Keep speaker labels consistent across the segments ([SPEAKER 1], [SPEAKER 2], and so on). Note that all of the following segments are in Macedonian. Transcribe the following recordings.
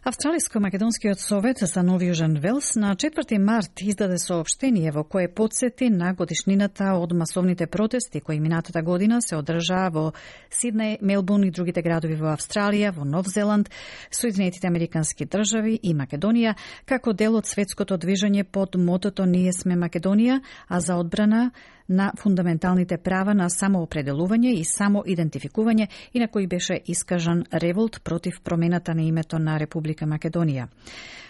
[SPEAKER 1] Австралиско-македонскиот совет за Нов Јужен Велс на 4 март издаде соопштение во кое потсети на годишнината од масовните протести кои минатата година се одржаа во Сиднеј, Мелбурн и другите градови во Австралија, во Нов Зеланд, Соединетите Американски држави и Македонија, како дел од светското движење под мотото Ние сме Македонија, а за одбрана на фундаменталните права на самоопределување и самоидентификување и на кои беше искажан револт против промената на името на Република Македонија.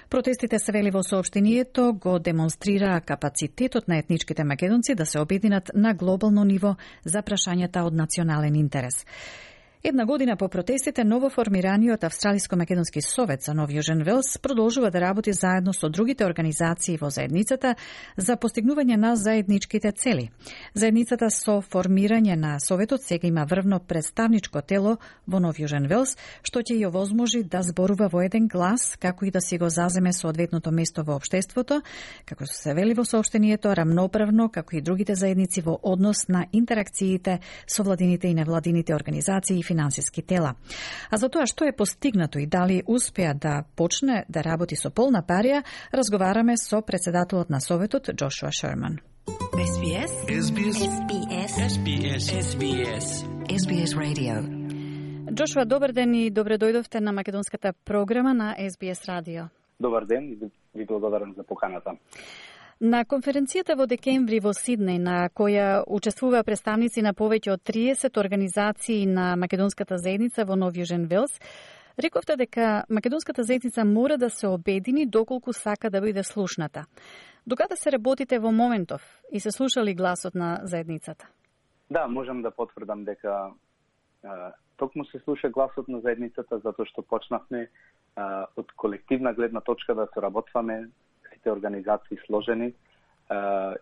[SPEAKER 1] Протестите, се вели во соопштението, го демонстрираа капацитетот на етничките македонци да се обединат на глобално ниво за прашањата од национален интерес. Една година по протестите, новоформираниот Австралиско-македонски совет за Нов Јужен Велс продолжува да работи заедно со другите организации во заедницата за постигнување на заедничките цели. Заедницата со формирање на советот сега има врвно представничко тело во Нов Јужен Велс, што ќе ја овозможи да зборува во еден глас, како и да си го заземе соодветното место во општеството, како се вели во соопштението, рамноправно, како и другите заедници во однос на интеракциите со владините и невладините организации и финансиски тела. А за тоа што е постигнато и дали успеа да почне да работи со полна парија, разговараме со председателот на советот Джошуа Шерман.
[SPEAKER 2] SBS Radio.
[SPEAKER 1] Джошуа, добар ден и добре дојдовте на македонската програма на SBS радио.
[SPEAKER 3] Добар ден и ви благодарам за поканата.
[SPEAKER 1] На конференцијата во декември во Сиднеј, на која учествуваа представници на повеќе од 30 организации на македонската заедница во Нов Јужен Велс, рековте дека македонската заедница мора да се обедини доколку сака да биде слушната. Докаде се работите во моментов и се слушали гласот на заедницата?
[SPEAKER 3] Да, можам да потврдам дека токму се слуша гласот на заедницата, затоа што почнавме од колективна гледна точка да соработваме сите организации сложени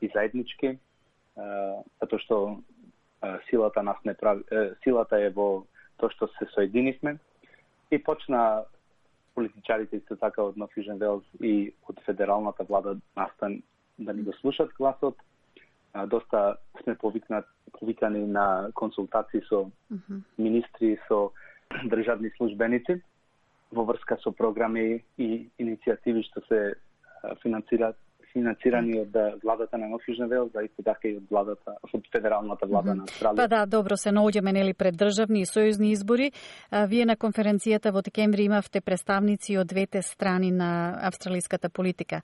[SPEAKER 3] и заеднички, затоа што силата нас не прави, силата е во тоа што се соединивме и почна политичарите исто така од Нов Јужен Велс и од федералната влада настан да ни го слушат гласот. Доста сме повикани на консултации со министри, со државни службеници во врска со програми и иницијативи што се финансирани од владата на Нов Јужен Велс, а исто така и од федералната влада на Австралија.
[SPEAKER 1] Па да, добро, се наоѓаме нели пред државни и сојузни избори. Вие на конференцијата во декември имавте представници од двете страни на австралиската политика.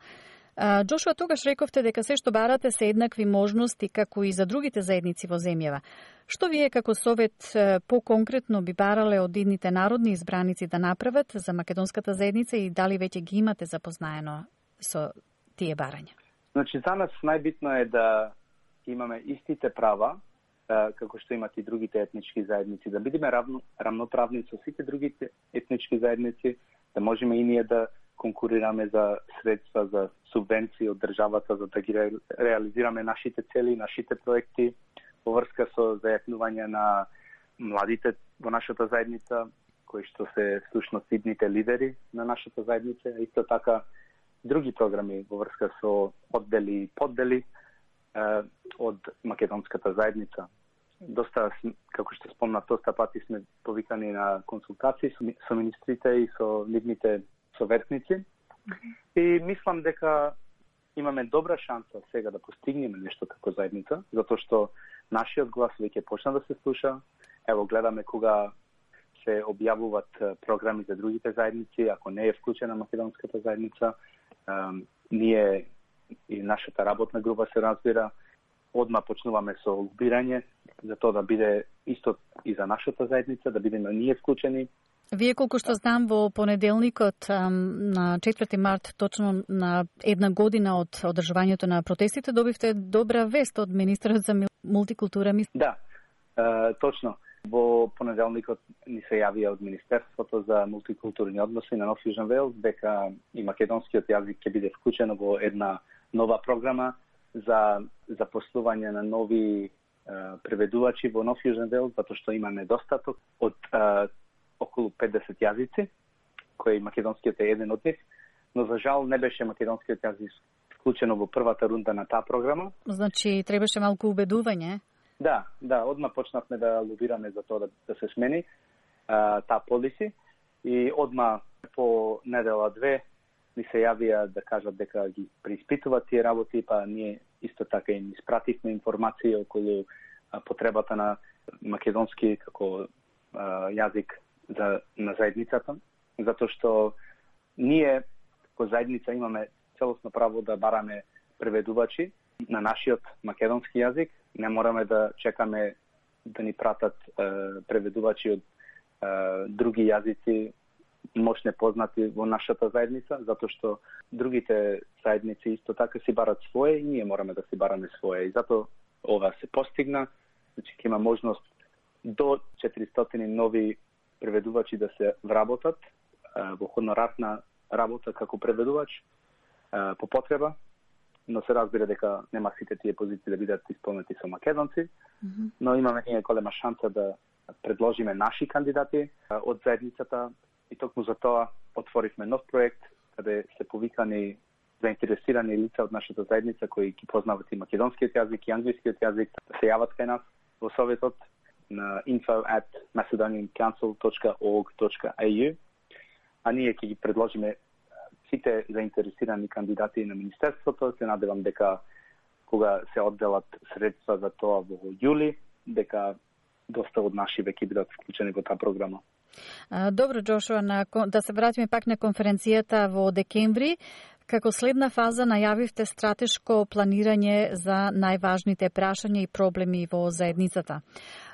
[SPEAKER 1] Джошуа, тогаш рековте дека се што барате се еднакви можности како и за другите заедници во земјава. Што вие како совет поконкретно би барале од идните народни избраници да направат за македонската заедница и дали веќе ги имате запознаено со тие барања?
[SPEAKER 3] Значи, за нас најбитно е да имаме истите права, како што имат и другите етнички заедници, да бидеме рамноправни со сите другите етнички заедници, да можеме и ние да конкурираме за средства, за субвенции од државата, за да ги реализираме нашите цели, нашите проекти, во врска со зајакнување на младите во нашата заедница, кои што се всушност идните лидери на нашата заедница, исто така други програми во врска со оддели и поддели од македонската заедница. Доста, како што спомнав, доста пати сме повикани на консултации со министрите и со нивните советници. И мислам дека имаме добра шанса сега да постигнеме нешто како заедница, затоа што нашиот глас веќе почна да се слуша. Ево, гледаме кога се објавуваат програми за другите заедници, ако не е вклучена македонската заедница, ние и нашата работна група се разбира, одма почнуваме со лобирање за тоа да биде исто и за нашата заедница, да бидеме ние вклучени.
[SPEAKER 1] Вие, колку што знам, во понеделникот на 4 март, точно на една година од одржувањето на протестите, добивте добра вест од министерот за мултикултура.
[SPEAKER 3] Да, точно. Во понеделникот ни се јавија од Министерството за мултикултурни односи на Нов Јужен Велс дека и македонскиот јазик ќе биде вклучен во една нова програма за запослување на нови преведувачи во Нов Јужен Велс, затоа што има недостаток од околу 50 јазици, кој македонскиот е еден од нив, но за жал не беше македонскиот јазик вклучено во првата рунда на таа програма.
[SPEAKER 1] Значи, требаше малку убедување?
[SPEAKER 3] Да, одма почнавме да лобираме за тоа да се смени таа полиси и одма По недела-две ни се јавија да кажат дека ги преиспитуваат тие работи, па ние исто така им испративме информација околу потребата на македонски како јазик на заедницата, затоа што ние како заедница имаме целосно право да бараме преведувачи на нашиот македонски јазик. Не мораме да чекаме да ни пратат преведувачи од други јазици, мощне познати во нашата заедница, затоа што другите заедници исто така си барат своje и ние мораме да си бараме своje. И затоа ова се постигна, значи ќе има можност до 400 нови преведувачи да се вработат во хонорарна работа како преведувач по потреба, но се разбира дека нема сите тие позиции да бидат исполнети со македонци, но имаме ние голема шанса да предложиме наши кандидати од заедницата и токму за тоа отворивме нов проект каде се повикани заинтересирани лица од нашата заедница кои ги познават и македонскиот јазик и англискиот јазик да се јават кај нас во советот на info@macedoniancouncil.org.au, а ние ќе ги предложиме сите заинтересирани кандидати на Министерството. Се надевам дека кога се одделат средства за тоа во јули, дека доста од наши веќе бидат вклучени во таа програма.
[SPEAKER 1] Добро, Джошуа, да се вратиме пак на конференцијата во декември. Како следна фаза најавивте стратешко планирање за најважните прашања и проблеми во заедницата.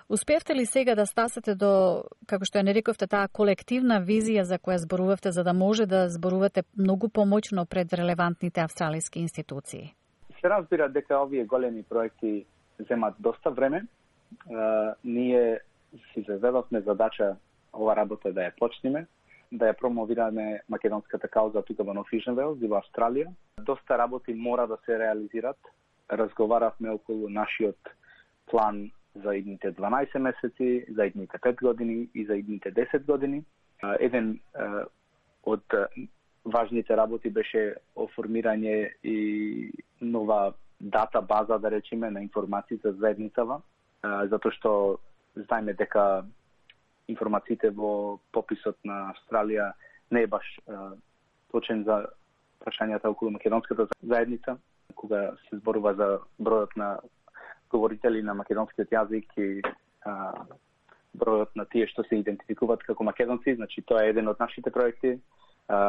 [SPEAKER 1] Успевте ли сега да стасате до, како што ја нарековте, таа колективна визија за која зборувавте, за да може да зборувате многу помоćно пред релевантните австралиски институции?
[SPEAKER 3] Се разбира дека овие големи проекти земат доста време. Ние си заведовме задача ова работа да ја почнеме, да ја промовираме македонската кауза тука во Нов Южен Велс и во Австралија. Доста работи мора да се реализират. Разговаравме околу нашиот план за идните 12 месеци, за идните 5 години и за идните 10 години. Еден од важните работи беше оформирање и нова дата база, да речеме, на информации за заедницава, затоа што знаеме дека информациите во пописот на Австралија не е баш точен за прашањата околу македонската заедница, кога се зборува за бројот на говорители на македонскиот јазик и бројот на тие што се идентификуваат како македонци. Значи, тоа е еден од нашите проекти.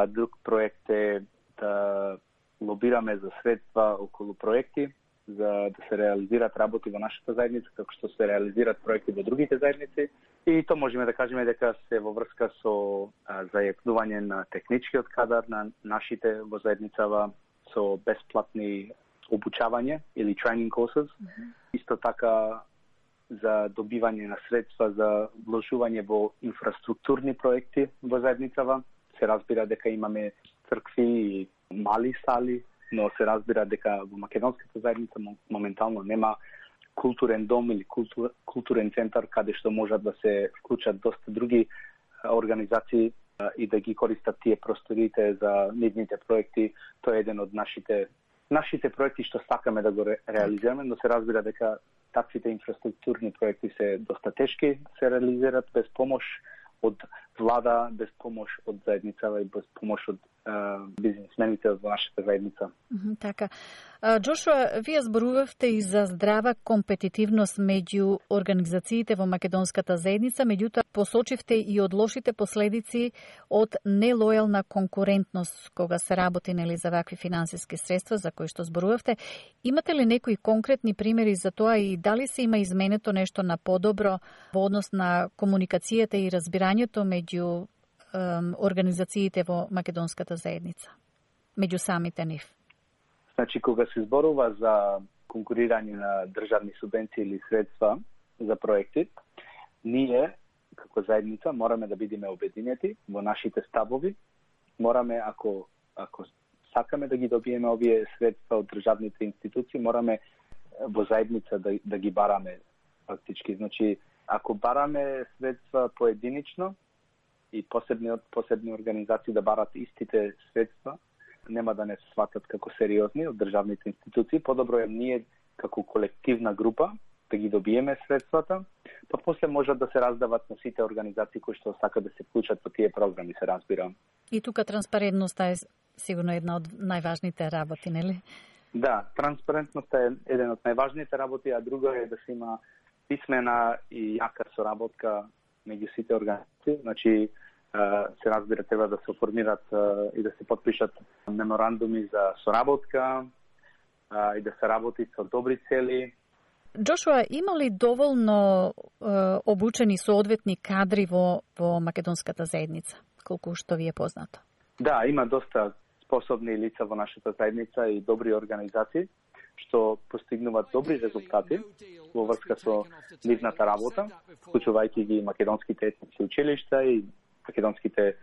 [SPEAKER 3] Друг проект е да лобираме за средства околу проекти, за да се реализираат работи во нашата заедница, како што се реализираат проекти во другите заедници. И то можеме да кажеме дека се во врска со зајакнување на техничкиот кадар на нашите во заедницава, со бесплатни обучавање или training courses. Исто така за добивање на средства за вложување во инфраструктурни проекти во заедницава. Се разбира дека имаме цркви и мали сали, но се разбира дека во македонската заедница моментално нема културен дом или културен центар каде што можат да се вклучат доста други организации и да ги користат тие просториите за нивните проекти. Тоа е еден од нашите проекти што сакаме да го реализираме, но се разбира дека таквите инфраструктурни проекти се доста тешки, се реализираат без помош од влада, без помош од заедницава и без помош од бизнисмените од нашата заедница.
[SPEAKER 1] Така. Джошуа, вие зборувавте и за здрава компетитивност меѓу организациите во македонската заедница, меѓутоа посочивте и од лошите последици од нелојална конкурентност кога се работи за вакви финансиски средства за кои што зборувавте. Имате ли некои конкретни примери за тоа и дали се има изменето нешто на подобро во однос на комуникацијата и разбирањето меѓу организациите во македонската заедница, меѓу самите нив?
[SPEAKER 3] Значи, кога се зборува за конкурирање на државни субвенции или средства за проекти, ние, како заедница, мораме да бидеме обединети во нашите ставови. Мораме, ако сакаме да ги добиеме овие средства од државните институции, мораме во заедница да ги бараме фактички. Значи, ако бараме средства поединично и посебни организации да барат истите средства, нема да не се сватат како сериозни од државните институции. Подобро е ние како колективна група да ги добиеме средствата, па после можат да се раздават на сите организации кои што сакаат да се вклучат во тие програми, се разбира.
[SPEAKER 1] И тука транспарентноста е сигурно една од најважните работи, нели?
[SPEAKER 3] Да, транспарентноста е еден од најважните работи, а друго е да се има писмена и јака соработка меѓу сите организации. Значи, се разбира, треба да се оформират и да се подпишат меморандуми за соработка и да се работи со добри цели.
[SPEAKER 1] Джошуа, има ли доволно обучени соодветни кадри во македонската заедница, колку што ви е познато?
[SPEAKER 3] Да, има доста способни лица во нашата заедница и добри организации што постигнуваат добри резултати во врска со нивната работа, вклучувајќи ги македонските етнички училишта и македонските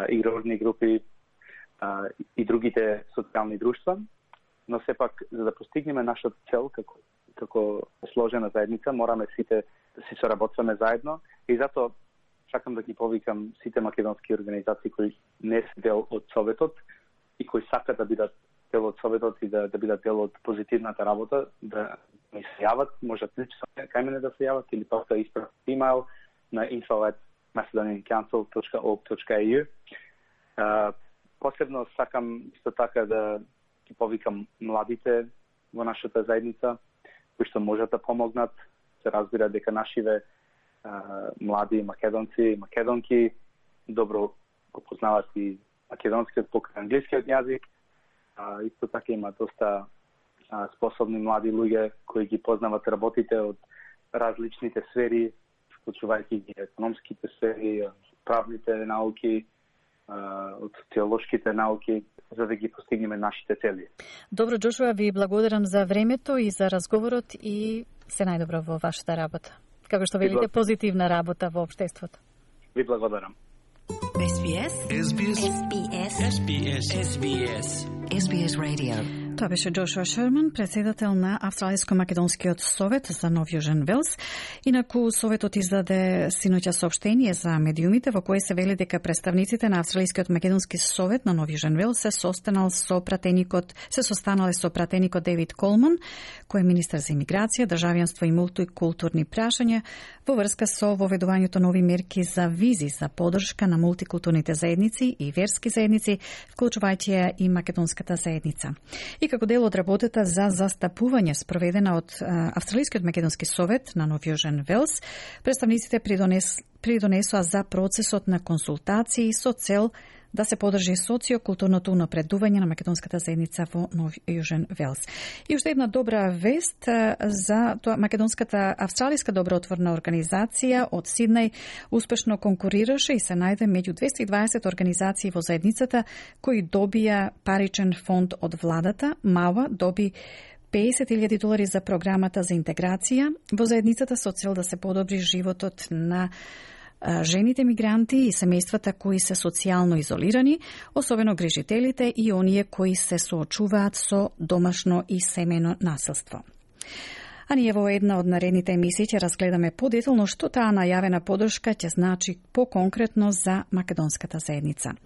[SPEAKER 3] игрорни групи и другите социјални друштва. Но сепак, за да постигнеме нашата цел како сложена заедница, мораме сите да си соработваме заедно и затоа сакам да ги повикам сите македонски организации кои не се дел од Советот и кои сакат да бидат дел од Советот и да бидат дел од позитивната работа, да ми се јават, можат лично кај мене да се јават или пак да испратат имејл на info@macedoniancouncil.org.au. Посебно сакам исто така да ги повикам младите во нашата заедница, кои што можат да помогнат. Се разбира дека нашиве млади македонци и македонки добро го познават и македонскиот покрај англискиот јазик. Исто така има доста способни млади луѓе кои ги познават работите од различните сфери, вклучувајќи ги економските сфери, правните науки, од социолошките науки, за да ги постигнеме нашите цели.
[SPEAKER 1] Добро, Джошуа, ви благодарам за времето и за разговорот и се најдобро во вашата работа. Како што велите, позитивна работа во општеството.
[SPEAKER 3] Ви благодарам.
[SPEAKER 2] SBS Radio.
[SPEAKER 1] Тоа беше Джошуа Шерман, председател на Австралиско-македонскиот совет за Нов Јужен Велс. Инаку советот издаде синоќа соопштение за медиумите во кое се вели дека представниците на Австралискиот македонски совет на Нов Јужен Велс се состанале со пратеникот Дейвид Колман, кој е министер за имиграција, државјанство и мултикултурни прашања во врска со воведувањето нови мерки за визи за поддршка на мултикултурните заедници и верски заедници, вклучувајќи ја и македонската заедница. И како дел од работата за застапување спроведена од Австралискиот македонски совет на Нов Јужен Велс, представниците придонесоа за процесот на консултации со цел да се поддржи социокултурното унапредување на македонската заедница во Нов Јужен Велс. И уште една добра вест за тоа, македонската австралиска добротворна организација од Сиднеј успешно конкурираше и се најде меѓу 220 организации во заедницата кои добија паричен фонд од владата. МАУА доби $50,000 за програмата за интеграција во заедницата со цел да се подобри животот на жените мигранти и семејствата кои се социјално изолирани, особено грижителите и оние кои се соочуваат со домашно и семејно насилство. А ние во една од наредните емисии ќе разгледаме подетално што таа најавена поддршка ќе значи поконкретно за македонската заедница.